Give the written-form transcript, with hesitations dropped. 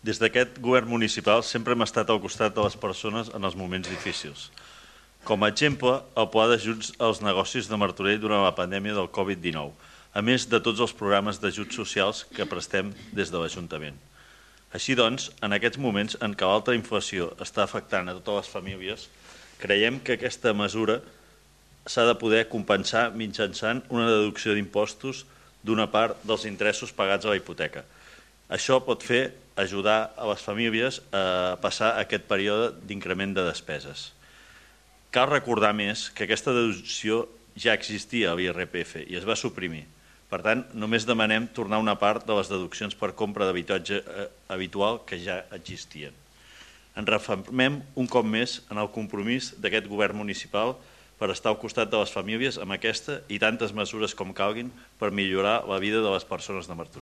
Des d'aquest govern municipal sempre hem estat al costat de les persones en els moments difícils. Com a exemple, el pla d'ajuts als negocis de Martorell durant la pandèmia del Covid-19, a més de tots els programes d'ajuts socials que prestem des de l'Ajuntament. Així doncs, en aquests moments en què l'alta inflació està afectant a totes les famílies, creiem que aquesta mesura s'ha de poder compensar mitjançant una deducció d'impostos d'una part dels interessos pagats a la hipoteca. Això pot fer ajudar a les famílies a passar aquest període d'increment de despeses. Cal recordar més que aquesta deducció ja existia a l'IRPF i es va suprimir. Per tant, només demanem tornar una part de les deduccions per compra d'habitatge habitual que ja existien. Ens refermem un cop més en el compromís d'aquest govern municipal per estar al costat de les famílies amb aquesta i tantes mesures com calguin per millorar la vida de les persones de Martorell.